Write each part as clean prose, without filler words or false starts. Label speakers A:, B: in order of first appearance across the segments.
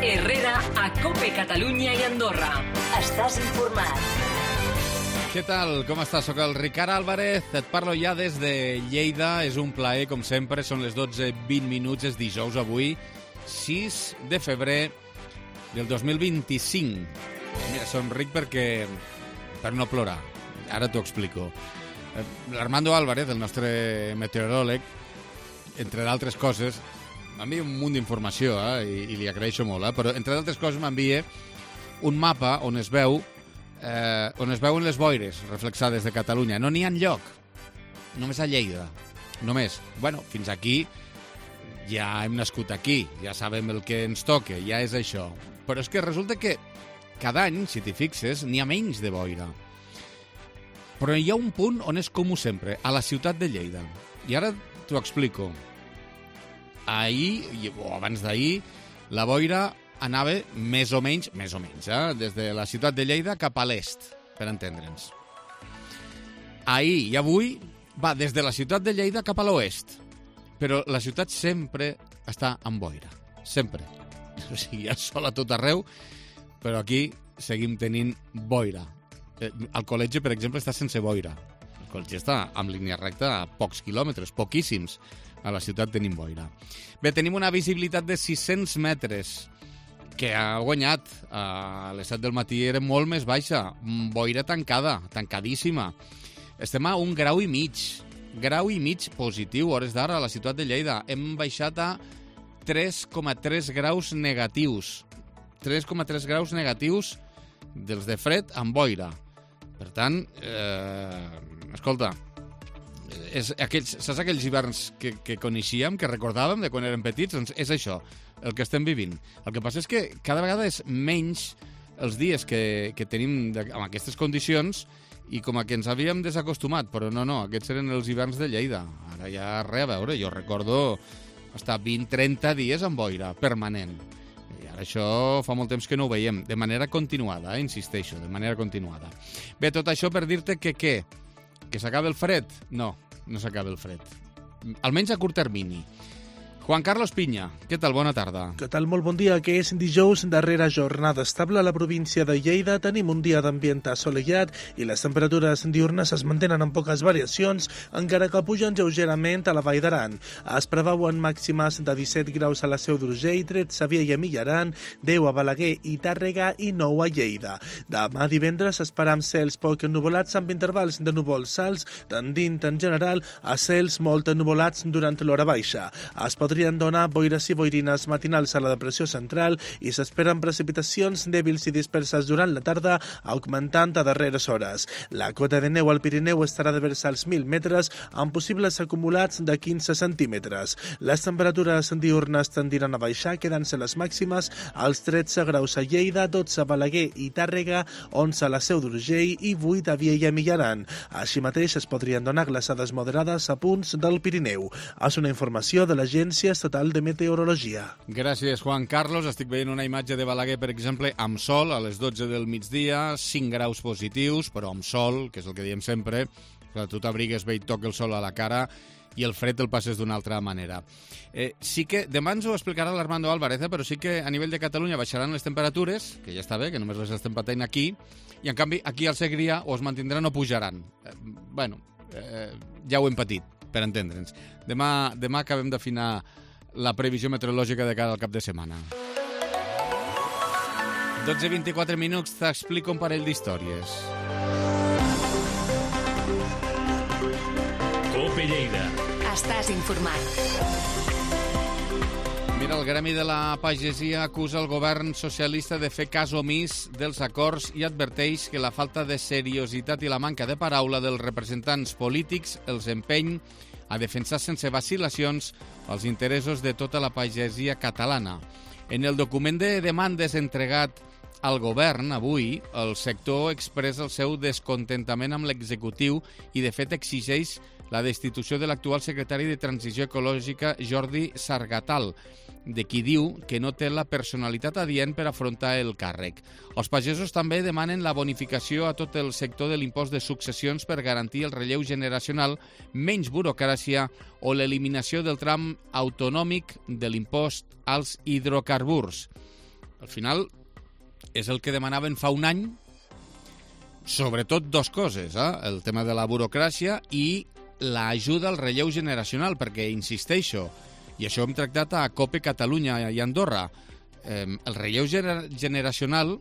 A: Herrera a COPE Catalunya i Andorra. Estàs informat.
B: Què tal? Com estàs? Soc el Ricard Álvarez, et parlo ja des de Lleida. És un plaer, com sempre, són les 12:20, és dijous avui, 6 de febrer del 2025. Mira, somric per no plorar. Ara t'ho explico. L'Armando Álvarez, el nostre meteoròleg, entre d'altres coses, m'envia un munt d'informació, i li agraeixo molt, però entre d'altres coses m'envia un mapa on es veuen les boires reflexades de Catalunya. No n'hi ha enlloc, només a Lleida. Només. Bueno, fins aquí ja hem nascut aquí, ja sabem el que ens toca, ja és això. Però és que resulta que cada any, si t'hi fixes, n'hi ha menys de boira. Però hi ha un punt on és comú sempre, a la ciutat de Lleida. I ara t'ho explico. Ahir, o abans d'ahir, la boira anava més o menys, des de la ciutat de Lleida cap a l'est, per entendre'ns. Ahir i avui va des de la ciutat de Lleida cap a l'oest, però la ciutat sempre està amb boira, sempre. O sigui, hi ha sol a tot arreu, però aquí seguim tenint boira. El col·legi, per exemple, està sense boira. El col·legi està amb línia recta a pocs quilòmetres, poquíssims. A la ciutat tenim boira. Bé, tenim una visibilitat de 600 metres, que ha guanyat. A les 7 del matí era molt més baixa. Boira tancada, tancadíssima. Estem a 1,5 grau positiu, hores d'ara, a la ciutat de Lleida. Hem baixat a 3,3 graus negatius. 3,3 graus negatius dels de fred amb boira. Per tant, escolta, saps aquells hiverns que coneixíem, que recordàvem de quan érem petits? Doncs és això, el que estem vivint. El que passa és que cada vegada és menys els dies que tenim amb aquestes condicions i com a que ens havíem desacostumat, però no, aquests eren els hiverns de Lleida. Ara ja res a veure, jo recordo estar 20-30 dies amb boira, permanent. I ara això fa molt temps que no ho veiem, de manera continuada, insisteixo, de manera continuada. Bé, tot això per dir-te que què? Que s'acaba el fred? No s'acaba el fred. Almenys a curt termini. Juan Carlos Piña, què tal? Bona tarda.
C: Què tal? Molt bon dia. Que és dijous, darrera jornada estable a la província de Lleida. Tenim un dia d'ambient assolellat i les temperatures diurnes es mantenen amb poques variacions, encara que pugen lleugerament a la Vall d'Aran. Es preveuen màximes de 17 graus a la Seu d'Urgell, 13 a Viella i Millaran, 10 a Balaguer i Tàrrega i 9 a Lleida. Demà divendres esperam cels poc ennuvolats amb intervals de núvols alts, tendint en general a cels molt ennuvolats durant l'hora baixa. Es podrien donar boires i boirines matinals a la depressió central i s'esperen precipitacions dèbils i disperses durant la tarda, augmentant a darreres hores. La cota de neu al Pirineu estarà de vers als 1.000 metres, amb possibles acumulats de 15 centímetres. Les temperatures diurnes tendiran a baixar, quedant-se les màximes als 13 graus a Lleida, 12 a Balaguer i Tàrrega, 11 a la Seu d'Urgell i 8 a Viella i Millaran. Així mateix es podrien donar glaçades moderades a punts del Pirineu. És una informació de l'Agència Estatal de Meteorologia.
B: Gràcies, Juan Carlos. Estic veient una imatge de Balaguer, per exemple, amb sol a les 12 del migdia, 5 graus positius, però amb sol, que és el que diem sempre. Tu t'abrigues bé i toca el sol a la cara i el fred el passes d'una altra manera. Sí que, demà ens ho explicarà l'Armando Álvarez, però sí que a nivell de Catalunya baixaran les temperatures, que ja està bé, que només les estem patint aquí, i en canvi aquí al Segrià o es mantindran o pujaran. Ja ho hem patit, per entendre'ns. Demà acabem d'afinar la previsió meteorològica de cara al cap de setmana. 12:24, t'explico un parell d'històries.
D: COPE Lleida.
A: Estàs informat.
B: Mira, el Gremi de la Pagesia acusa el govern socialista de fer cas omís dels acords i adverteix que la falta de seriositat i la manca de paraula dels representants polítics els empeny a defensar sense vacil·lacions els interessos de tota la pagesia catalana. En el document de demandes entregat al govern avui, el sector expressa el seu descontentament amb l'executiu i, de fet, exigeix la destitució de l'actual secretari de Transició Ecològica, Jordi Sargatal, de qui diu que no té la personalitat adient per afrontar el càrrec. Els pagesos també demanen la bonificació a tot el sector de l'impost de successions per garantir el relleu generacional, menys burocràcia o l'eliminació del tram autonòmic de l'impost als hidrocarburs. Al final, és el que demanaven fa un any, sobretot dues coses, el tema de la burocràcia i l'ajuda al relleu generacional, perquè, insisteixo, i això hem tractat a COPE Catalunya i Andorra, el relleu generacional,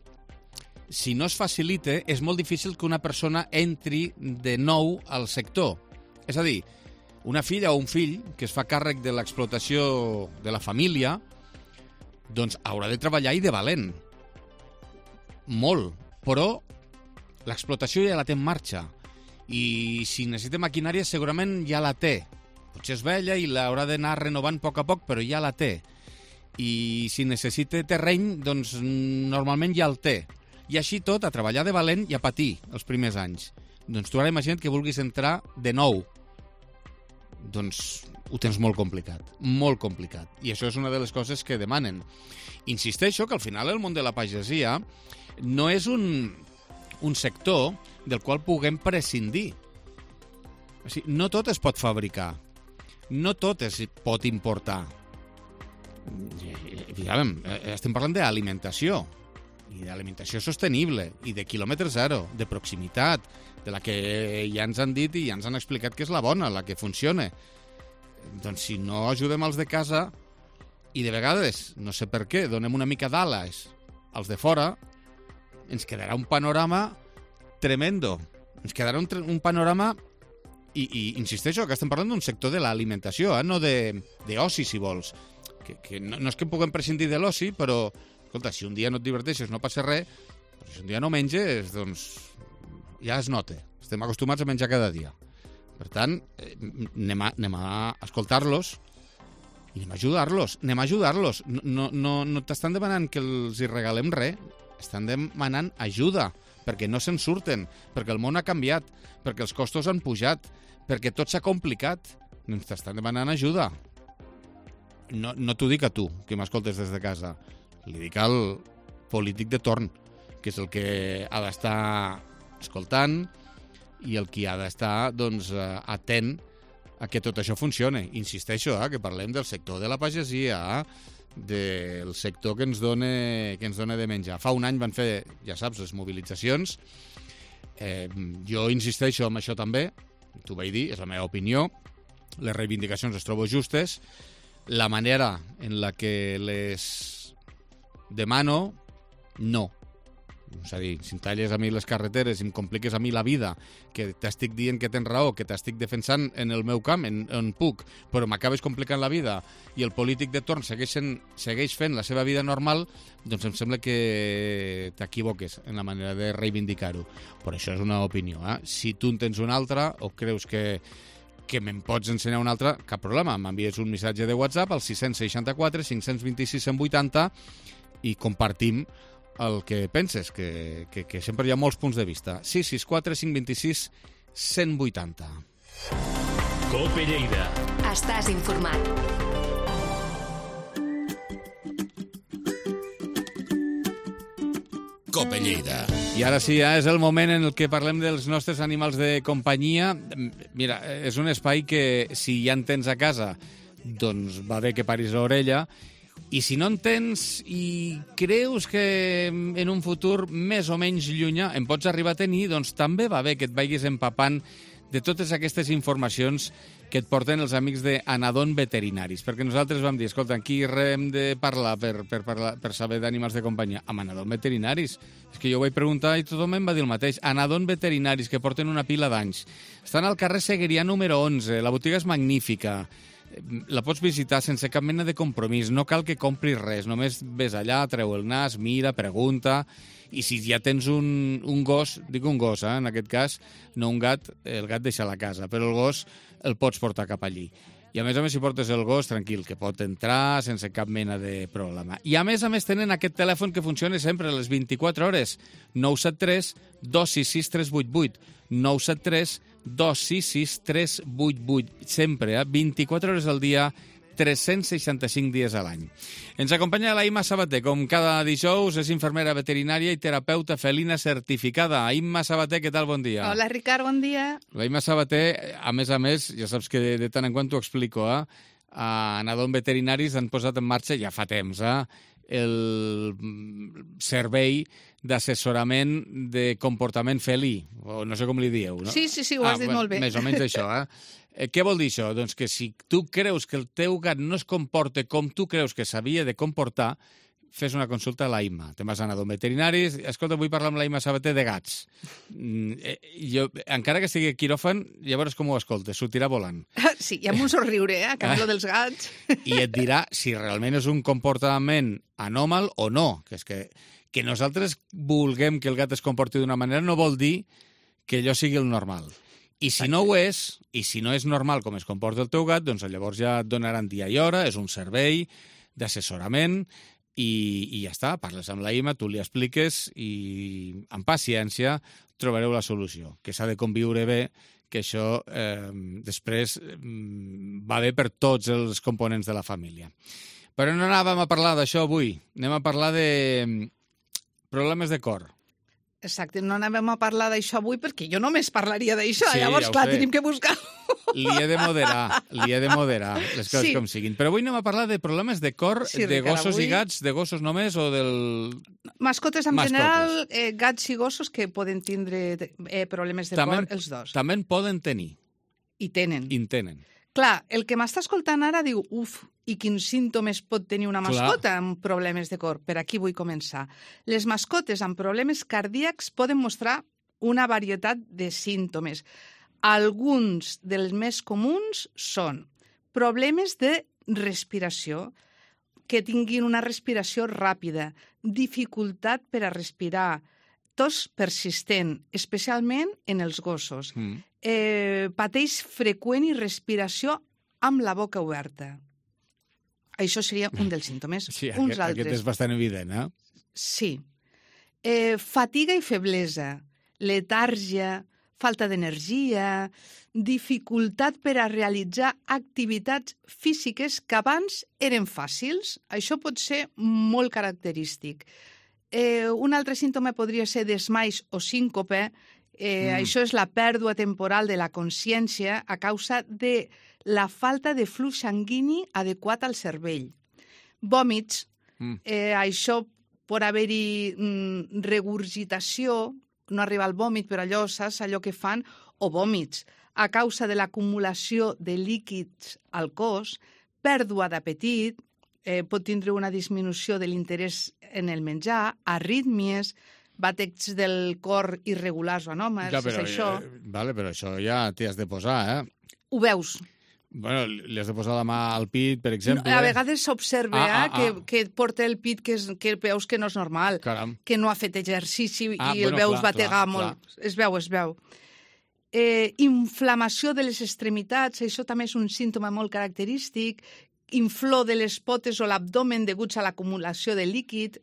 B: si no es facilita, és molt difícil que una persona entri de nou al sector. És a dir, una filla o un fill que es fa càrrec de l'explotació de la família, doncs haurà de treballar i de valent. Molt. Però l'explotació ja la té en marxa. I si necessita maquinària segurament ja la té. Potser és vella i l'haurà d'anar renovant a poc, però ja la té. I si necessita terreny, doncs normalment ja el té. I així tot, a treballar de valent i a patir els primers anys. Doncs tu ara imagina't que vulguis entrar de nou. Doncs ho tens molt complicat, molt complicat. I això és una de les coses que demanen. Insisteixo que al final el món de la pagesia no és un sector del qual puguem prescindir. O sigui, no tot es pot fabricar, no tot es pot importar. Estem parlant d'alimentació, i d'alimentació sostenible, i de quilòmetre zero, de proximitat, de la que ja ens han dit i ja ens han explicat que és la bona, la que funciona. Doncs si no ajudem els de casa, i de vegades, no sé per què, donem una mica d'ales als de fora, ens quedarà un panorama tremendo. Ens quedarà un panorama, i insisteixo, que estem parlant d'un sector de l'alimentació, no d'oci, si vols. Que no és que puguem prescindir de l'oci, però, escolta, si un dia no et diverteixes no passa res, però si un dia no menges, doncs ja es nota. Estem acostumats a menjar cada dia. Per tant, anem a escoltar-los i anem a ajudar-los. No t'estan demanant que els hi regalem res, estan demanant ajuda, perquè no se'n surten, perquè el món ha canviat, perquè els costos han pujat, perquè tot s'ha complicat. Ens t'estan demanant ajuda. No t'ho dic a tu, que m'escoltes des de casa. Li dic al polític de torn, que és el que ha d'estar escoltant i el que ha d'estar atent a que tot això funcione. Insisteixo, que parlem del sector de la pagesia, del sector que ens dona de menjar. Fa un any van fer, ja saps, les mobilitzacions. Jo insisteixo en això també, t'ho vaig dir, és la meva opinió. Les reivindicacions les trobo justes. La manera en la que les demano, no. És a dir, si em talles a mi les carreteres i em compliques a mi la vida, que t'estic dient que tens raó, que t'estic defensant en el meu camp, on puc, però m'acabes complicant la vida i el polític de torn segueix fent la seva vida normal, doncs em sembla que t'equivoques en la manera de reivindicar-ho. Però això és una opinió. Si tu en tens una altra o creus que me'n pots ensenyar una altra, cap problema. M'envies un missatge de WhatsApp al 664 526 180 i compartim el que penses, que sempre hi ha molts punts de vista. 664 526 180.
A: COPE Lleida. Estàs informat.
B: COPE Lleida. I ara sí, és el moment en el que parlem dels nostres animals de companyia. Mira, és un espai que, si ja en tens a casa, doncs va bé que paris l'orella. I si no en tens i creus que en un futur més o menys llunyà en pots arribar a tenir, doncs també va bé que et vagis empapant de totes aquestes informacions que et porten els amics d'Anadon Veterinaris. Perquè nosaltres vam dir, escolta, aquí hem de parlar per saber d'animals de companyia. Amb Anadon Veterinaris. És que jo ho vaig preguntar i tothom em va dir el mateix. Anadon Veterinaris, que porten una pila d'anys. Estan al carrer Seguerià número 11. La botiga és magnífica. La pots visitar sense cap mena de compromís. No cal que compris res. Només ves allà, treu el nas, mira, pregunta. I si ja tens un gos, dic un gos, en aquest cas, no un gat, el gat deixa a la casa, però el gos el pots portar cap allí. I a més, si portes el gos, tranquil, que pot entrar sense cap mena de problema. I a més tenen aquest telèfon que funciona sempre a les 24 hores. 973 266 388. 973 266 388. Sempre, 24 hores al dia, 365 dies a l'any. Ens acompanya la Imma Sabater, com cada dijous, és infermera veterinària i terapeuta felina certificada. Imma Sabater, què tal? Bon dia.
D: Hola, Ricard, bon dia.
B: La Imma Sabater, a més, ja saps que de tant en quant t'ho explico, a Nadon Veterinaris han posat en marxa ja fa temps el servei d'assessorament de comportament felí, o no sé com li dieu, no?
D: Sí, ho has dit molt bé.
B: Més o menys això, Què vol dir això? Doncs que si tu creus que el teu gat no es comporta com tu creus que s'havia de comportar, fes una consulta a la Imma. Te'n vas a Nadon Veterinaris. Escolta, vull parlar amb la Imma Sabater de gats. Jo, encara que estigui a quiròfan, llavors com ho escoltes? Sortirà volant.
D: Sí, i amb un somriure, a canvi dels gats.
B: I et dirà si realment és un comportament anòmal o no. Que és que nosaltres vulguem que el gat es comporti d'una manera no vol dir que allò sigui el normal. I si no ho és, i si no és normal com es comporta el teu gat, doncs llavors ja et donaran dia i hora, és un servei d'assessorament, i ja està, parles amb la Imma, tu li expliques i amb paciència trobareu la solució, que s'ha de conviure bé, que això després va bé per tots els components de la família. Però no anàvem a parlar d'això avui, anem a parlar de problemes de cor.
D: Exacte, no anàvem a parlar d'això avui perquè jo només parlaria d'això,
B: Sí,
D: llavors,
B: ja ho
D: clar,
B: sé.
D: tenim que buscar.
B: Li he de moderar les coses
D: Sí.
B: com siguin. Però avui anem a parlar de problemes de cor,
D: Sí,
B: de
D: Ricard,
B: gossos
D: avui-
B: i gats, de gossos només o del...
D: Mascotes en
B: Mascotes.
D: general, gats i gossos que poden tindre problemes de cor, els dos.
B: També en poden tenir,
D: I tenen.
B: i en tenen.
D: Clar, el que m'està escoltant ara diu, i quins símptomes pot tenir una mascota amb problemes de cor? Per aquí vull començar. Les mascotes amb problemes cardíacs poden mostrar una varietat de símptomes. Alguns dels més comuns són problemes de respiració, que tinguin una respiració ràpida, dificultat per a respirar, tos persistent, especialment en els gossos. Pateix freqüent i respiració amb la boca oberta. Això seria un dels símptomes.
B: Sí,
D: Uns
B: aquest
D: altres.
B: és bastant evident,
D: Sí. Fatiga i feblesa, letàrgia, falta d'energia, dificultat per a realitzar activitats físiques que abans eren fàcils. Això pot ser molt característic. Un altre símptoma podria ser desmais o síncope. Això és la pèrdua temporal de la consciència a causa de la falta de flux sanguini adequat al cervell. Vòmits. Això pot haver-hi regurgitació, no arriba al vòmit, però allò, saps, allò que fan, o vòmits, a causa de l'acumulació de líquids al cos, pèrdua d'apetit, pot tindre una disminució de l'interès en el menjar, arrítmies, batecs del cor irregulars o anòmals,
B: Ja, però,
D: és això.
B: vale, però això ja t'hi has de posar,
D: Ho veus?
B: Bueno, li has de posar la mà al pit, per exemple.
D: A vegades s'observa que porta el pit que veus que no és normal,
B: Caram.
D: que no ha fet exercici i el
B: bueno,
D: veus
B: clar,
D: bategar
B: clar,
D: molt. Es veu. Inflamació de les extremitats, això també és un símptoma molt característic, inflor de les potes o l'abdomen deguts a l'acumulació de líquid.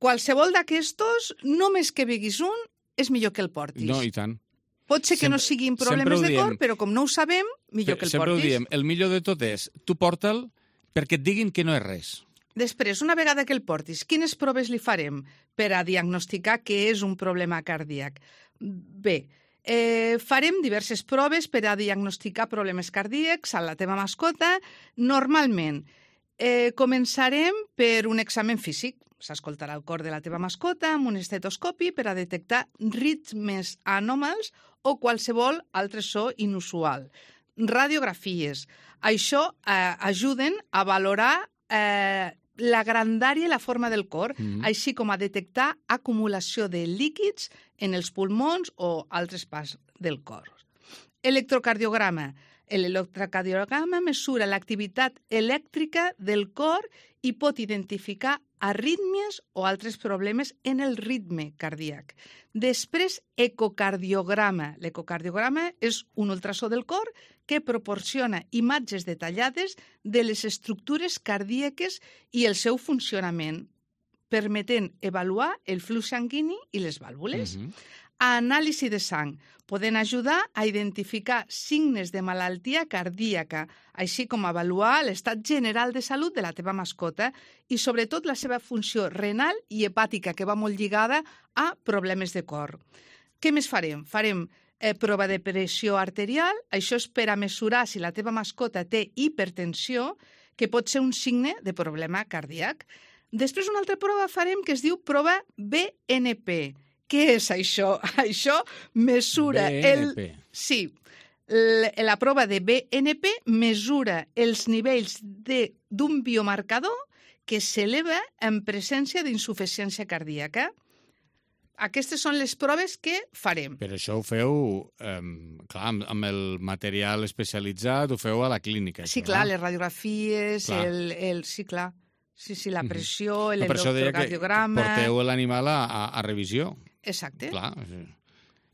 D: Qualsevol d'aquestos, només que beguis un, és millor que el portis.
B: No, i tant.
D: Pot ser que no siguin problemes de cor, però com no ho sabem, millor que el
B: Sempre ho
D: portis.
B: diem, el millor de tot és, tu porta'l perquè et diguin que no és res.
D: Després, una vegada que el portis, quines proves li farem per a diagnosticar que és un problema cardíac? Bé, farem diverses proves per a diagnosticar problemes cardíacs a la teva mascota. Normalment, començarem per un examen físic. S'escoltarà el cor de la teva mascota amb un estetoscopi per a detectar ritmes anòmals o qualsevol altre so inusual. Radiografies. Això ajuden a valorar la grandària i la forma del cor, així com a detectar acumulació de líquids en els pulmons o altres parts del cor. Electrocardiograma. L'electrocardiograma mesura l'activitat elèctrica del cor i pot identificar arrítmies o altres problemes en el ritme cardíac. Després, ecocardiograma. L'ecocardiograma és un ultrasó del cor que proporciona imatges detallades de les estructures cardíaques i el seu funcionament, permetent avaluar el flux sanguini i les vàlvules. Anàlisi de sang. Poden ajudar a identificar signes de malaltia cardíaca, així com avaluar l'estat general de salut de la teva mascota i, sobretot, la seva funció renal i hepàtica, que va molt lligada a problemes de cor. Què més farem? Farem prova de pressió arterial, això és per a mesurar si la teva mascota té hipertensió, que pot ser un signe de problema cardíac. Després una altra prova farem que es diu prova BNP. Què és això? Això mesura
B: BNP.
D: Sí, la prova de BNP mesura els nivells d'un biomarcador que s'eleva en presència d'insuficiència cardíaca. Aquestes són les proves que farem.
B: Però això ho feu, clar, amb el material especialitzat, ho feu a la clínica.
D: Sí, clar, les radiografies, sí, clar. Sí, la pressió, l'electrocardiograma...
B: Porteu l'animal a revisió.
D: Exacte.
B: Clar.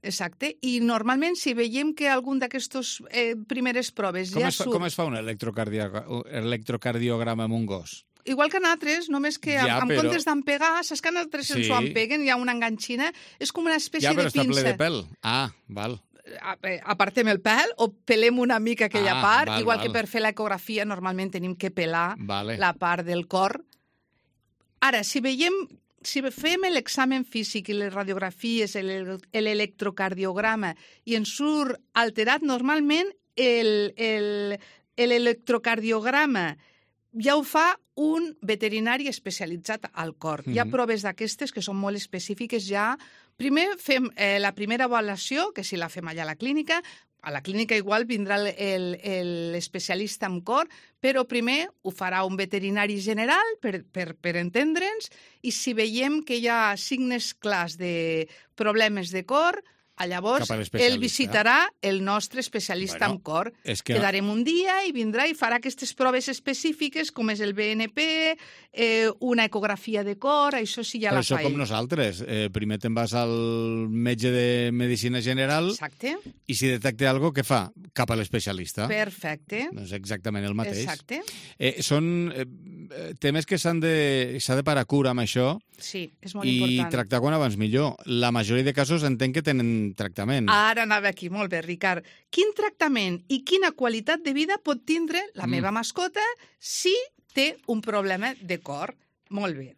D: Exacte. I normalment, si veiem que algun d'aquestes primeres proves
B: Com es fa un electrocardiograma amb un gos?
D: Igual que en altres, només que en comptes d'empegar, saps que en altres ens ho empeguen, hi ha una enganxina, és com una espècie de pinça.
B: Ja, però està ple de pèl. Ah, val.
D: Apartem el pèl o pelem una mica aquella part, igual que per fer l'ecografia normalment tenim que pelar la part del cor. Ara, si fem l'examen físic i les radiografies, l'electrocardiograma, i ens surt alterat, normalment l'electrocardiograma ja ho fa un veterinari especialitzat al cor. Hi ha proves d'aquestes que són molt específiques ja. Primer fem la primera avaluació, que si la fem allà a la clínica igual vindrà l'especialista en cor, però primer ho farà un veterinari general per entendre'ns, i si veiem que hi ha signes clars de problemes de cor, llavors ell visitarà el nostre especialista en cor. Quedarem un dia i vindrà i farà aquestes proves específiques, com és el BNP, una ecografia de cor, això sí ja la fa ell.
B: Però això com nosaltres. Primer te'n vas al metge de medicina general.
D: Exacte.
B: I si detecta alguna cosa, què fa? Cap a l'especialista.
D: Perfecte.
B: Doncs exactament el mateix.
D: Exacte.
B: Són temes que s'ha de parar cura amb això.
D: Sí, és molt important.
B: I tractar quan abans millor. La majoria de casos entenc que tenen tractament.
D: Ara anava aquí, molt bé, Ricard. Quin tractament i quina qualitat de vida pot tindre la meva mascota si té un problema de cor? Molt bé.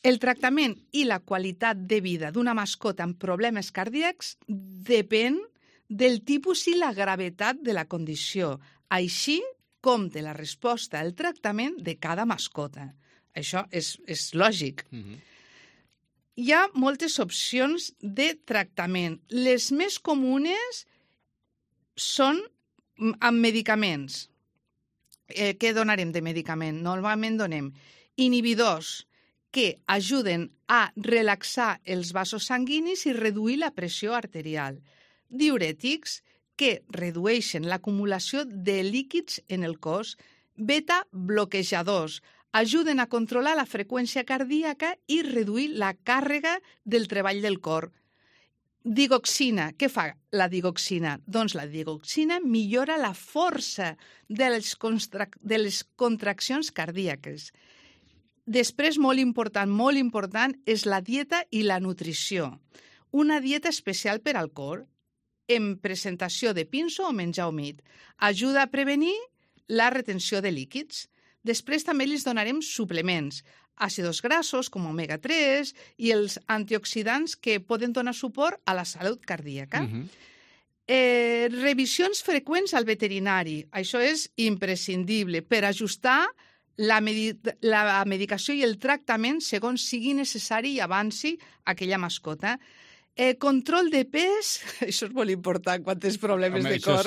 D: El tractament i la qualitat de vida d'una mascota amb problemes cardíacs depèn del tipus i la gravetat de la condició, així com de la resposta al tractament de cada mascota. Això és lògic. Hi ha moltes opcions de tractament. Les més comunes són amb medicaments. Què donarem de medicament? Normalment donem inhibidors que ajuden a relaxar els vasos sanguinis i reduir la pressió arterial. Diürètics que redueixen l'acumulació de líquids en el cos. Beta-bloquejadors ajuden a controlar la freqüència cardíaca i reduir la càrrega del treball del cor. Digoxina. Què fa la digoxina? Doncs la digoxina millora la força de les contraccions cardíaques. Després, molt important, és la dieta i la nutrició. Una dieta especial per al cor, en presentació de pinso o menjar humit. Ajuda a prevenir la retenció de líquids. Després també li donarem suplements, àcids grassos com omega-3 i els antioxidants que poden donar suport a la salut cardíaca. Revisions freqüents al veterinari. Això és imprescindible per ajustar la medicació i el tractament segons sigui necessari i avanci aquella mascota. Control de pes, això és molt important quan tens problemes de cor.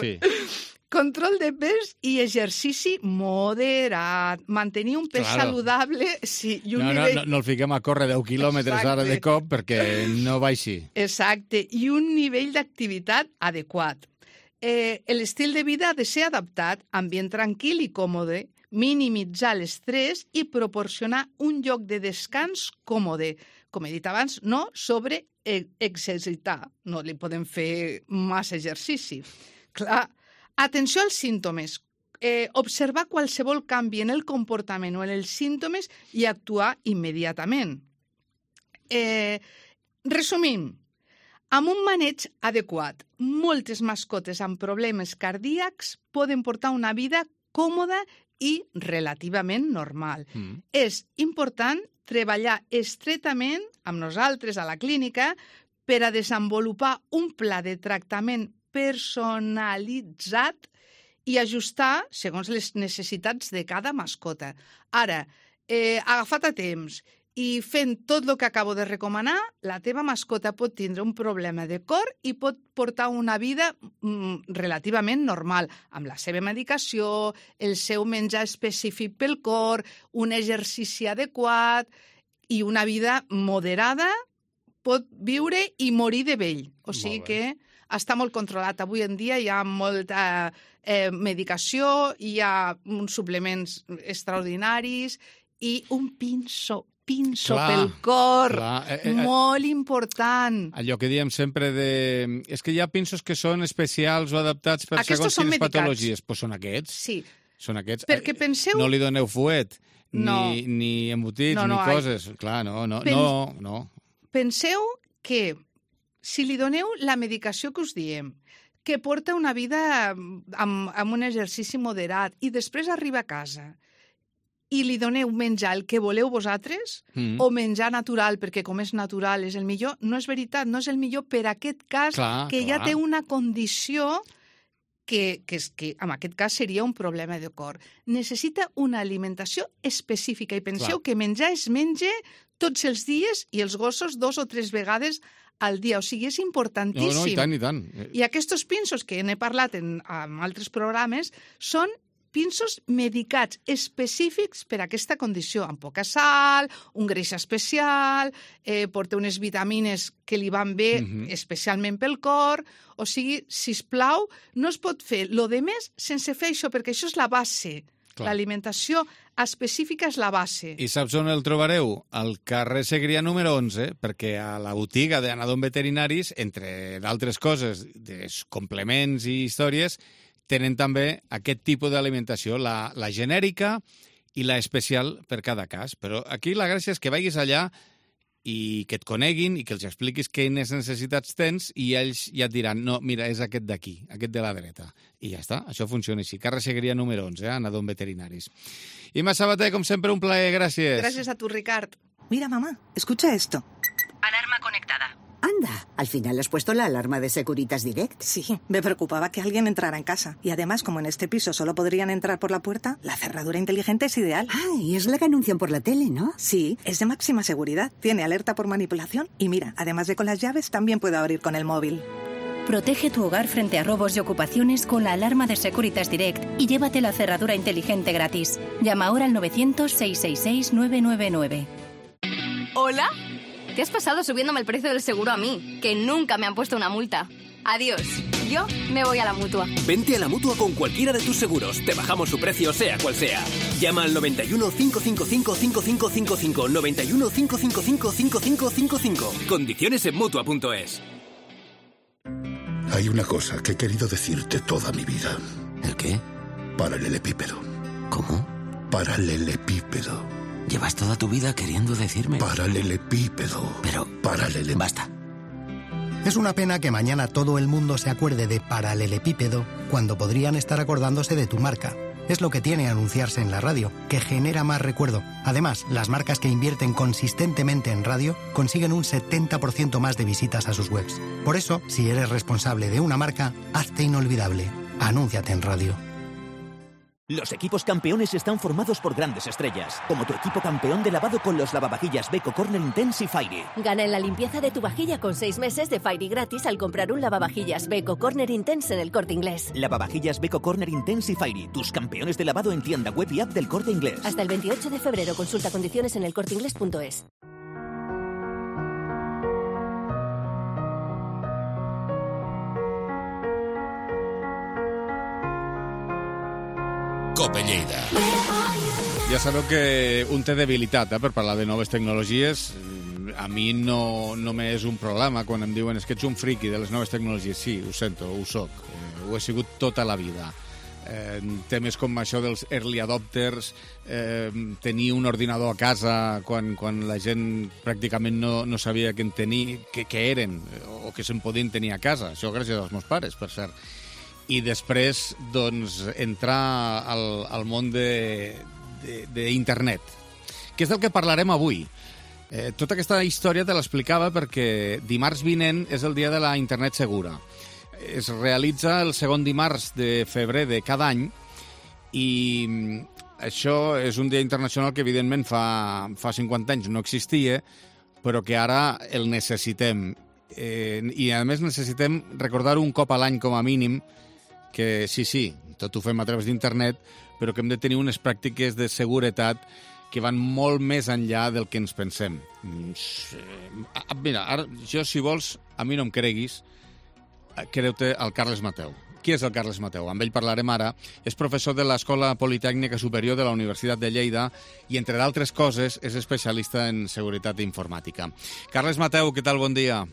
D: Control de pes i exercici moderat. Mantenir un pes saludable... Sí, i un nivell...
B: No el fiquem a córrer 10 quilòmetres ara de cop perquè no baixi.
D: Exacte, i un nivell d'activitat adequat. L'estil de vida ha de ser adaptat, ambient tranquil i còmode, minimitzar l'estrès i proporcionar un lloc de descans còmode. Com he dit abans, no sobreexercitar. No li podem fer massa exercici. Clar, atenció als símptomes. Observar qualsevol canvi en el comportament o en els símptomes i actuar immediatament. Resumim, amb un maneig adequat, moltes mascotes amb problemes cardíacs poden portar una vida còmoda i relativament normal. És important treballar estretament amb nosaltres a la clínica per a desenvolupar un pla de tractament personalitzat i ajustar segons les necessitats de cada mascota. Ara, agafat a temps i fent tot el que acabo de recomanar, la teva mascota pot tindre un problema de cor i pot portar una vida relativament normal, amb la seva medicació, el seu menjar específic pel cor, un exercici adequat i una vida moderada, pot viure i morir de vell. O sigui que està molt controlat. Avui en dia hi ha molta medicació, hi ha uns suplements extraordinaris i un pinso pel cor, molt important.
B: Allò que diem sempre és que hi ha pinsos que són especials o adaptats per segons quines patologies. Doncs són aquests.
D: Sí.
B: Són aquests.
D: Perquè penseu...
B: No li doneu fuet, ni embotits, ni coses. Clar, no.
D: Penseu que si li doneu la medicació que us diem, que porta una vida amb un exercici moderat i després arriba a casa i li doneu menjar el que voleu vosaltres o menjar natural, perquè com és natural és el millor, no és veritat, no és el millor per aquest cas ja té una condició que en aquest cas seria un problema de cor. Necessita una alimentació específica i penseu que menjar es menja tots els dies i els gossos 2 o 3 vegades al dia. O sigui, és importantíssim.
B: No, i tant.
D: I aquests pinsos que n'he parlat en altres programes són pinsos medicats específics per a aquesta condició, amb poca sal, un greix especial, porta unes vitamines que li van bé especialment pel cor. O sigui, sisplau, no es pot fer lo de més sense fer això, perquè això és la base. L'alimentació específica és la base.
B: I saps on el trobareu? Al carrer Segrià número 11, perquè a la botiga d'Anadom Veterinaris, entre d'altres coses, de complements i històries, tenen també aquest tipus d'alimentació, la genèrica i la especial per cada cas. Però aquí la gràcia és que vagis allà i que et coneguin i que els expliquis quines necessitats tens i ells ja et diran, no, mira, és aquest d'aquí, aquest de la dreta. I ja està, això funciona així. Carrer Segrià número 11, Anadom Veterinaris. Imma Sabater, com sempre, un plaer, gràcies.
D: Gràcies a tu, Ricard.
E: Mira, mamá, escucha esto.
A: Alarma conectada.
F: Anda, al final has puesto la alarma de Securitas Direct.
E: Sí, me preocupaba que alguien entrara en casa. Y además, como en este piso solo podrían entrar por la puerta, la cerradura inteligente es ideal.
F: Ah, y es la que anuncian por la tele, ¿no?
E: Sí, es de máxima seguridad. Tiene alerta por manipulación y mira, además de con las llaves, también puede abrir con el móvil.
G: Protege tu hogar frente a robos y ocupaciones con la alarma de Securitas Direct y llévate la cerradura inteligente gratis. Llama ahora al 900-666-999.
H: ¿Hola? ¿Qué has pasado subiéndome el precio del seguro a mí? Que nunca me han puesto una multa. Adiós. Yo me voy a la Mutua.
I: Vente a la Mutua con cualquiera de tus seguros. Te bajamos su precio, sea cual sea. Llama al 91 555 5555. 91 555 5555. Condiciones en Mutua.es.
J: Hay una cosa que he querido decirte toda mi vida.
K: ¿El qué?
J: Paralelepípedo.
K: ¿Cómo?
J: Paralelepípedo.
K: Llevas toda tu vida queriendo decirme...
J: Paralelepípedo.
K: Pero... Basta.
L: Es una pena que mañana todo el mundo se acuerde de paralelepípedo cuando podrían estar acordándose de tu marca. Es lo que tiene anunciarse en la radio, que genera más recuerdo. Además, las marcas que invierten consistentemente en radio consiguen un 70% más de visitas a sus webs. Por eso, si eres responsable de una marca, hazte inolvidable. Anúnciate en radio.
I: Los equipos campeones están formados por grandes estrellas, como tu equipo campeón de lavado con los lavavajillas Beko Corner Intense y Fairy.
M: Gana en la limpieza de tu vajilla con 6 meses de Fairy gratis al comprar un lavavajillas Beko Corner Intense en el Corte Inglés.
I: Lavavajillas Beko Corner Intense y Fairy, tus campeones de lavado en tienda web y app del Corte Inglés.
M: Hasta el 28 de febrero, consulta condiciones en elcorteinglés.es.
B: Cope Lleida. Ja sabeu que un té debilitat per parlar de noves tecnologies. A mi no m'és un problema quan em diuen que ets un friki de les noves tecnologies. Sí, ho sento, ho soc. Ho he sigut tota la vida. Temes com això dels early adopters, tenir un ordinador a casa quan la gent pràcticament no sabia què eren o que se'n podien tenir a casa. Això gràcies als meus pares, per cert. I després, doncs, entrar al món d'internet, que és del que parlarem avui. Tota aquesta història te l'explicava perquè dimarts vinent és el dia de la internet segura. es realitza el segon dimarts de febrer de cada any i això és un dia internacional que, evidentment, fa 50 anys no existia, però que ara el necessitem. I, a més, necessitem recordar un cop a l'any, com a mínim, que sí, tot ho fem a través d'internet, però que hem de tenir unes pràctiques de seguretat que van molt més enllà del que ens pensem. Mira, ara, jo, si vols, a mi no em creguis, creu-te el Carles Mateu. Qui és el Carles Mateu? Amb ell parlarem ara. És professor de l'Escola Politècnica Superior de la Universitat de Lleida i, entre d'altres coses, és especialista en seguretat informàtica. Carles Mateu, què tal? Bon dia.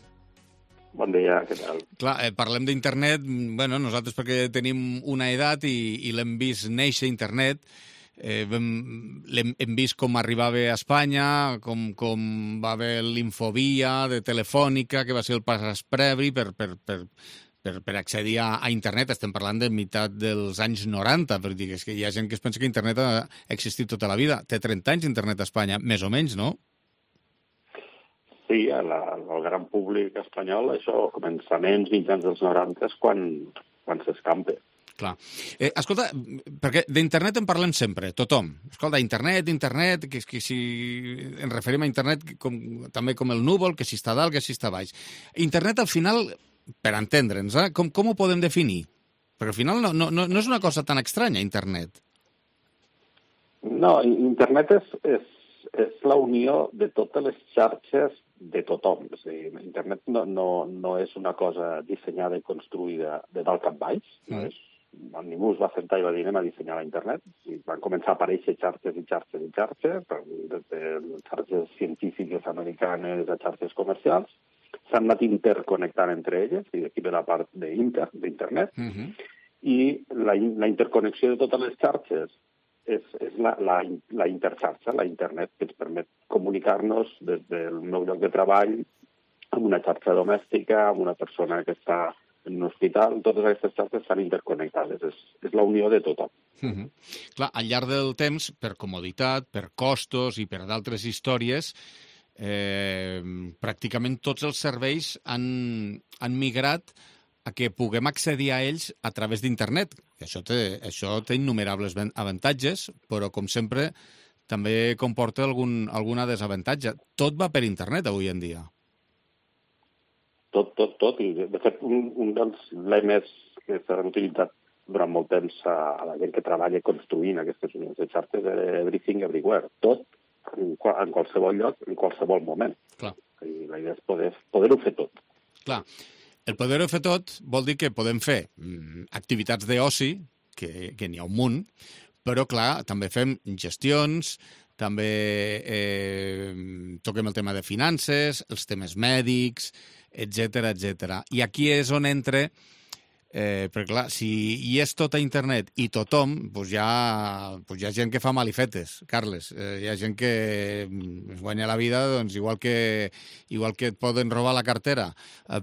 N: Bon dia, què tal?
B: Clar, parlem d'internet, bueno, nosaltres perquè tenim una edat i l'hem vist néixer internet, hem vist com arribava a Espanya, com va haver l'Infovia de Telefònica, que va ser el pas previ per accedir a internet. Estem parlant de meitat dels anys 90, perquè és que hi ha gent que es pensa que internet ha existit tota la vida. Té 30 anys internet a Espanya, més o menys, no?
N: Sí, al gran públic espanyol, això, començaments, mitjans dels 90, és quan s'escampa.
B: Clar. Escolta, perquè d'internet en parlem sempre, tothom. Escolta, internet, que si ens referim a internet també com el núvol, que si està dalt, que si està baix. Internet, al final, per entendre'ns, com ho podem definir? Perquè al final no és una cosa tan estranya, internet.
N: No, internet és la unió de totes les xarxes de tothom. És a dir, internet no és una cosa dissenyada i construïda de dalt cap baix. Ningú es va sentar i va dir anem a dissenyar la internet. Van començar a aparèixer xarxes i xarxes i xarxes, des de xarxes científiques americanes a xarxes comercials. S'han anat interconnectant entre elles, i d'aquí ve la part d'internet. I la interconnexió de totes les xarxes és la interxarxa, la internet, que ens permet comunicar-nos des del meu lloc de treball amb una xarxa domèstica, amb una persona que està en un hospital. Totes aquestes xarxes estan interconnectades. És la unió de tothom.
B: Clar, al llarg del temps, per comoditat, per costos i per d'altres històries, pràcticament tots els serveis han migrat a que puguem accedir a ells a través d'internet. Això té innumerables avantatges, però, com sempre, també comporta alguna desavantatge. Tot va per internet avui en dia.
N: Tot. I, de fet, un dels lemes que s'han utilitzat durant molt temps a la gent que treballa construint aquestes unions de xarxes era everything, everywhere. Tot, en qualsevol lloc, en qualsevol moment.
B: Clar.
N: I la idea és poder-ho fer tot.
B: Clar. El poder-ho fer tot vol dir que podem fer activitats d'oci, que n'hi ha un munt, però, clar, també fem gestions, també toquem el tema de finances, els temes mèdics, etc. I aquí és on entra, perquè, clar, si hi és tot a internet i tothom, doncs hi ha gent que fa malifetes, Carles. Hi ha gent que es guanya la vida, doncs, igual que et poden robar la cartera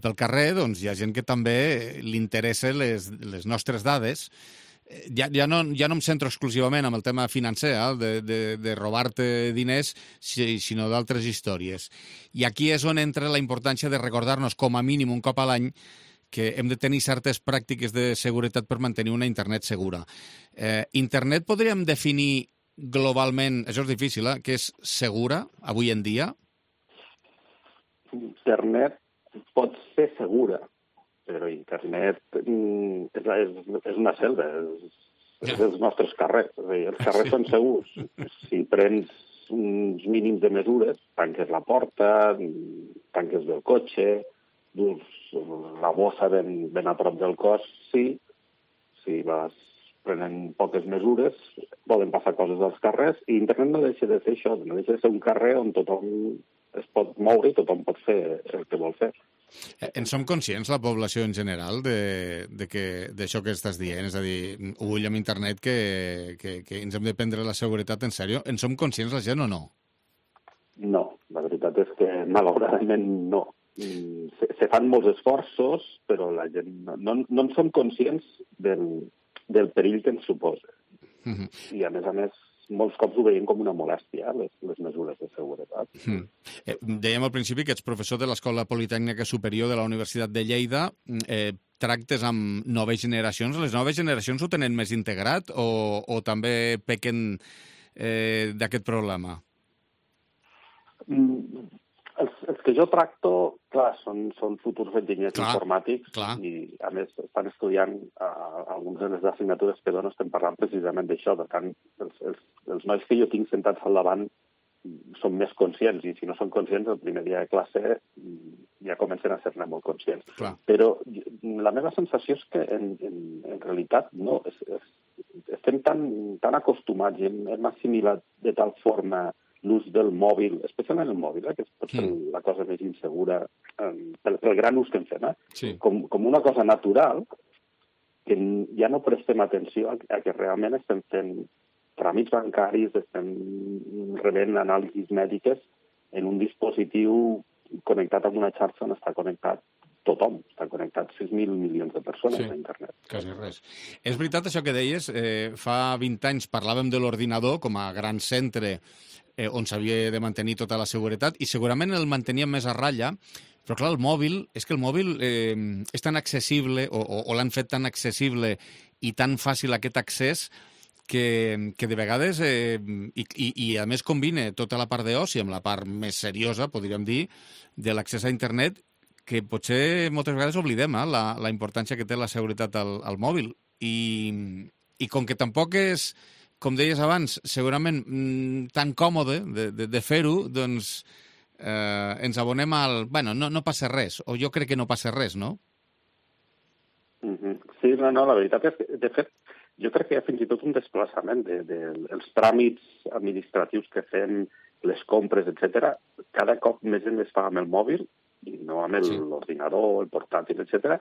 B: pel carrer, doncs hi ha gent que també li interessa les nostres dades. Ja no em centro exclusivament en el tema financer, de robar-te diners, sinó d'altres històries. I aquí és on entra la importància de recordar-nos, com a mínim un cop a l'any, que hem de tenir certes pràctiques de seguretat per mantenir una internet segura. Internet podríem definir globalment, això és difícil, que és segura avui en dia?
N: Internet pot ser segura, però internet és una selva, és els nostres carrers. És a dir, els carrers són segurs. Si prens uns mínims de mesures, tanques la porta, tanques el cotxe, dus la bossa ben a prop del cos, sí. Si vas prenent poques mesures, poden passar coses als carrers, i internet no deixa de ser això, no deixa de ser un carrer on tothom es pot moure i tothom pot fer el que vol fer.
B: En som conscients, la població en general, d'això que estàs dient? És a dir, ull amb internet, que ens hem de prendre la seguretat en sèrio. En som conscients la gent o no?
N: No, la veritat és que malauradament no. Se fan molts esforços, però la gent no en som conscients del perill que ens suposa. I, a més, molts cops ho veiem com una molèstia, les mesures de seguretat.
B: Dèiem al principi que ets professor de l'Escola Politècnica Superior de la Universitat de Lleida. Tractes amb noves generacions. Les noves generacions ho tenen més integrat o també pequen d'aquest problema?
N: Els que jo tracto, clar, són futurs enginyers informàtics i, a més, estan estudiant algunes de les assignatures que dono, estem parlant precisament d'això. Per tant, els nois que jo tinc sentats al davant són més conscients i si no són conscients, el primer dia de classe ja comencen a ser-ne molt conscients.
B: Clar.
N: Però la meva sensació és que, en realitat, no, estem tan acostumats i hem assimilat de tal forma l'ús del mòbil, especialment el mòbil, que pot ser la cosa més insegura pel gran ús que en fem, com una cosa natural, que ja no prestem atenció a que realment estem fent tràmits bancaris, estem rebent anàlisis mèdiques en un dispositiu connectat amb una xarxa on està connectat tothom. Està connectat 6.000 milions de persones a internet.
B: Quasi res. És veritat això que deies, fa 20 anys parlàvem de l'ordinador com a gran centre on s'havia de mantenir tota la seguretat i segurament el manteníem més a ratlla, però clar, el mòbil és tan accessible o l'han fet tan accessible i tan fàcil aquest accés que de vegades, i a més combina tota la part d'oci amb la part més seriosa, podríem dir, de l'accés a internet, que potser moltes vegades oblidem la importància que té la seguretat al mòbil. I com que tampoc és, com deies abans, segurament tan còmode de fer-ho, doncs ens abonem al... Bueno, no passa res, o jo crec que no passa res, no?
N: Sí, no, la veritat és que, de fet, jo crec que hi ha fins i tot un desplaçament dels tràmits administratius que fem, les compres, etc. Cada cop més gent es fa amb el mòbil i no amb l'ordinador, el portàtil, etc.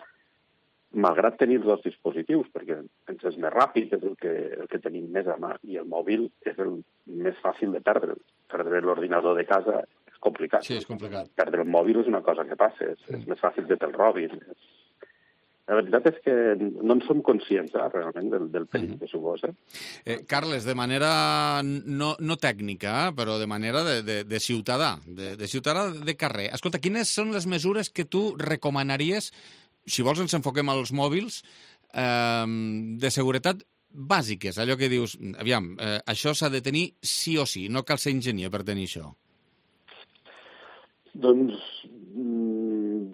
N: Malgrat tenir els dos dispositius, perquè ens és més ràpid, és el que tenim més a mà, i el mòbil és el més fàcil de perdre. Perdre l'ordinador de casa és complicat.
B: Sí, és complicat.
N: Perdre el mòbil és una cosa que passa, és més fàcil que te'l robin. La veritat és que no en som conscients, realment, del perill que suposa.
B: Carles, de manera no tècnica, però de manera de ciutadà, de ciutadà de carrer. Escolta, quines són les mesures que tu recomanaries, si vols ens enfoquem als mòbils, de seguretat bàsiques? Allò que dius, aviam, això s'ha de tenir sí o sí, no cal ser enginyer per tenir això.
N: Doncs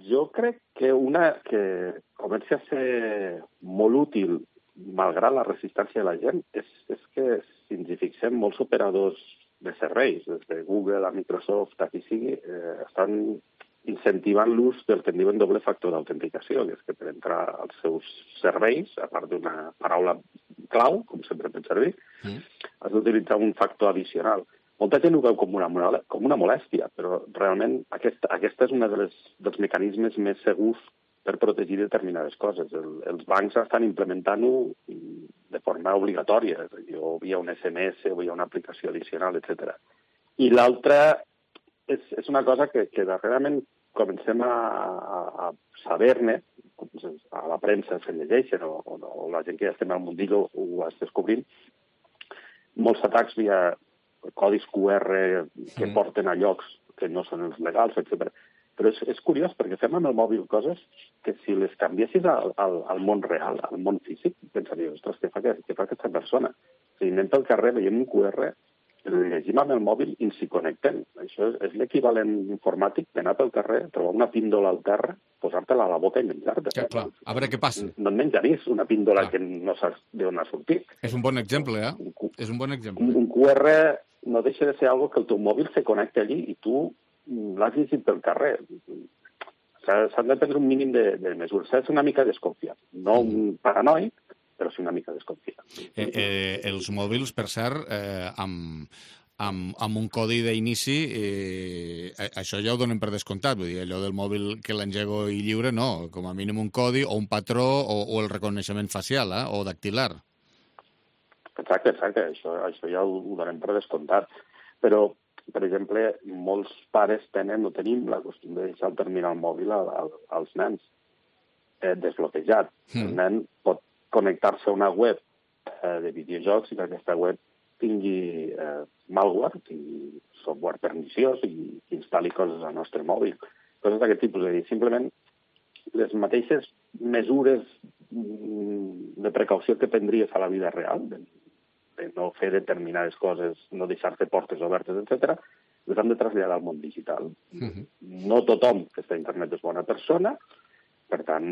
N: jo crec que una que comença a ser molt útil, malgrat la resistència de la gent, és que si ens hi fixem, molts operadors de serveis, des de Google a Microsoft, a qui sigui, estan incentivant l'ús del que en diuen doble factor d'autenticació, que és que per entrar als seus serveis, a part d'una paraula clau, com sempre fem servir, has d'utilitzar un factor addicional. Molta gent ho veu com una molèstia, però realment aquesta és un dels mecanismes més segurs per protegir determinades coses. Els bancs estan implementant-ho de forma obligatòria, o via un SMS o via una aplicació addicional, etc. I l'altra és una cosa que darrerament comencem a saber-ne, a la premsa se llegeixen, o la gent que ja estem al mundillo ho està descobrint, molts atacs via codis QR que porten a llocs que no són els legals, etc. Però és curiós, perquè fem amb el mòbil coses que si les canviessis al món real, al món físic, pensaries, ostres, què fa aquesta persona? Si anem pel carrer, veiem un QR, el llegim amb el mòbil i ens hi connectem. Això és l'equivalent informàtic d'anar pel carrer, trobar una píndola al terra, posar-te-la a la boca i menjar-te.
B: Clar, a veure què passa.
N: No et menjaries una píndola que no saps d'on ha sortit.
B: És un bon exemple, És un bon exemple.
N: Un QR no deixa de ser algo que el teu mòbil se connecta allí i tu l'has llegit pel carrer. S'han de prendre un mínim de mesures. S'ha de ser una mica desconfiat. No un paranoic, però sí una mica desconfiat.
B: Els mòbils, per cert, amb un codi d'inici, això ja ho donen per descomptat. Vull dir, allò del mòbil que l'engego i lliure, no. Com a mínim un codi o un patró o el reconeixement facial o dactilar.
N: Exacte. Això ja ho donem per descomptat. Però, per exemple, molts pares tenim la costum de deixar el terminal mòbil als nens desbloquejat. El nen pot connectar-se a una web de videojocs i que aquesta web tingui malware, tingui software perniciós i instal·li coses al nostre mòbil. Coses d'aquest tipus. És a dir, simplement les mateixes mesures de precaució que prendries a la vida real, de no fer determinades coses, no deixar-te portes obertes, etc., les hem de traslladar al món digital. No tothom que està a internet és bona persona, per tant,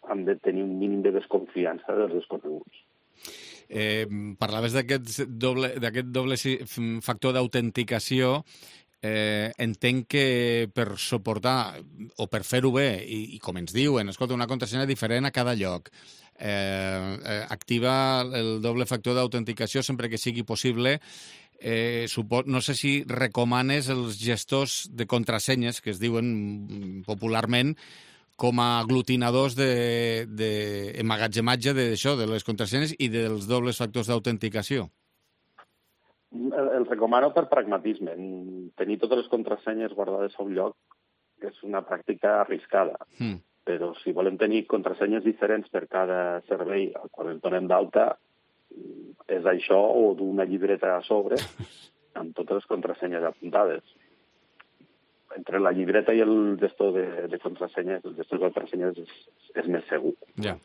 N: hem de tenir un mínim de desconfiança dels desconeguts.
B: Parlaves d'aquest doble factor d'autenticació. Entenc que per suportar o per fer-ho bé, i com ens diuen, escolta, una contrasenya diferent a cada lloc, activa el doble factor d'autenticació sempre que sigui possible. No sé si recomanes els gestors de contrasenyes, que es diuen popularment, com a aglutinadors d'emmagatzematge d'això, de les contrasenyes i dels dobles factors d'autenticació.
N: El recomano per pragmatisme. Tenir totes les contrasenyes guardades a un lloc és una pràctica arriscada. Però si volem tenir contrasenyes diferents per cada servei al qual ens donem d'alta, és això o d'una llibreta a sobre amb totes les contrasenyes apuntades. Entre la llibreta i el gestor de contrasenyes, el gestor de contrasenyes és més segur.
B: Ja.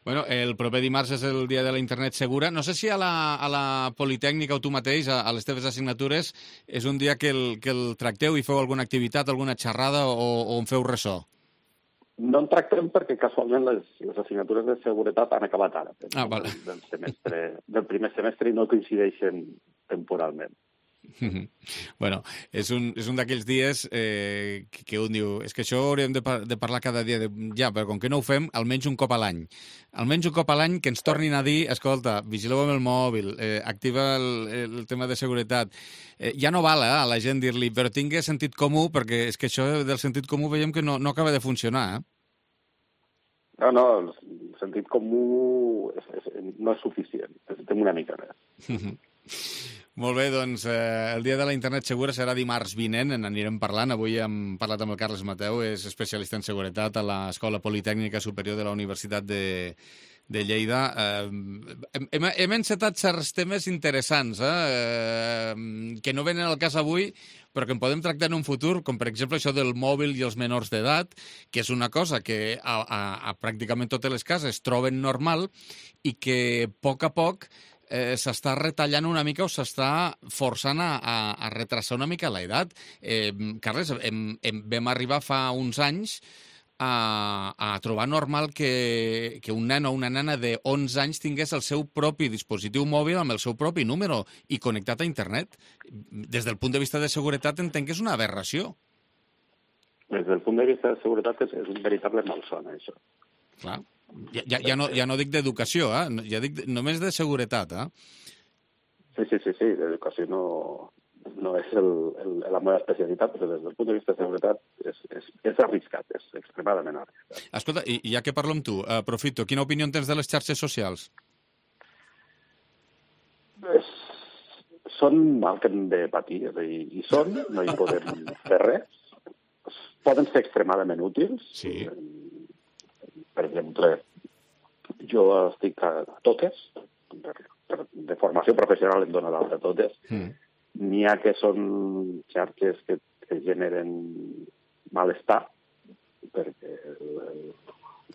B: Bueno, el proper dimarts és el dia de la internet segura. No sé si a la Politècnica o tu mateix, a les teves assignatures, és un dia que el tracteu i feu alguna activitat, alguna xerrada o en feu ressò?
N: No en tractem perquè casualment les assignatures de seguretat han acabat ara,
B: vale.
N: del primer semestre, i no coincideixen temporalment.
B: Bueno, és un d'aquells dies que un diu, és que això hauríem de parlar cada dia, ja, però com que no ho fem, almenys un cop a l'any. Almenys un cop a l'any que ens tornin a dir, escolta, vigileu amb el mòbil, activa el tema de seguretat. Ja no val a la gent dir-li, però tingui sentit comú, perquè és que això del sentit comú veiem que no acaba de funcionar,
N: No, el sentit comú no és suficient, necessitem una mica més.
B: Molt bé, doncs el dia de la internet segura serà dimarts vinent, n'anirem parlant. Avui hem parlat amb el Carles Mateu, és especialista en seguretat a l'Escola Politècnica Superior de la Universitat de Lleida. Hem encetat certs temes interessants que no venen al cas avui, però que en podem tractar en un futur, com per exemple això del mòbil i els menors d'edat, que és una cosa que a pràcticament totes les cases troben normal i que a poc s'està retallant una mica o s'està forçant a retrasar una mica l'edat. Carles, vam arribar fa uns anys a trobar normal que un nen o una nena de 11 anys tingués el seu propi dispositiu mòbil amb el seu propi número i connectat a internet. Des del punt de vista de seguretat entenc que és una aberració.
N: Des del punt de vista de seguretat és un veritable malson, això.
B: Clar. Ja no dic d'educació, ja dic només de seguretat.
N: Sí, d'educació no és la meva especialitat, però des del punt de vista de seguretat és arriscat, és extremadament arriscat.
B: Escolta, i ja que parlo amb tu, aprofito, quina opinió tens de les xarxes socials?
N: Són mal que hem de patir, és a dir, no hi podem fer res. Poden ser extremadament útils.
B: Sí.
N: Per exemple, jo estic a totes, de formació professional em dóna l'alta a totes. N'hi ha que són xarxes que generen malestar, perquè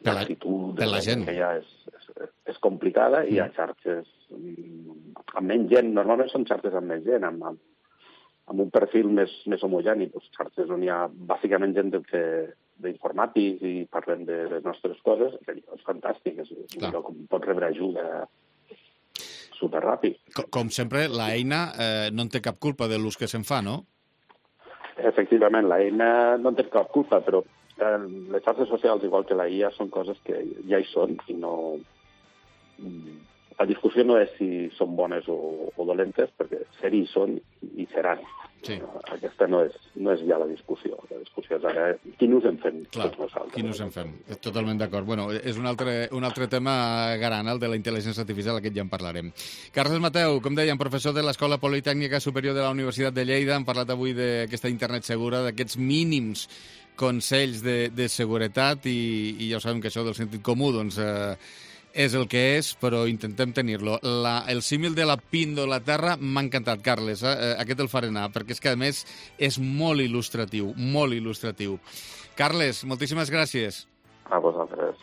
N: l'actitud de la gent que hi ha és complicada, i hi ha xarxes amb menys gent, normalment són xarxes amb menys gent, amb un perfil més homogeni, xarxes on hi ha bàsicament gent d'informàtics i parlem de les nostres coses, que és fantàstic, és un lloc on pots rebre ajuda superràpid.
B: Com sempre, l'eina no en té cap culpa de l'ús que se'n fa, no?
N: Efectivament, l'eina no en té cap culpa, però les xarxes socials, igual que la IA, són coses que ja hi són i no... La discussió no és si són bones o dolentes, perquè ser-hi són i seran.
B: Sí.
N: Aquesta no és ja la discussió. La discussió és ara quin ús en fem tots nosaltres.
B: Quin ús en fem. Totalment d'acord. Bueno, és un altre tema gran, el de la intel·ligència artificial, aquest ja en parlarem. Carles Mateu, com dèiem, professor de l'Escola Politècnica Superior de la Universitat de Lleida, hem parlat avui d'aquesta internet segura, d'aquests mínims consells de seguretat, i ja ho sabem que això del sentit comú, doncs... és el que és, però intentem tenir-lo. El símil de la píndola terra m'ha encantat, Carles. Aquest el faré anar, perquè és que, a més, és molt il·lustratiu, molt il·lustratiu. Carles, moltíssimes gràcies.
N: A vosaltres.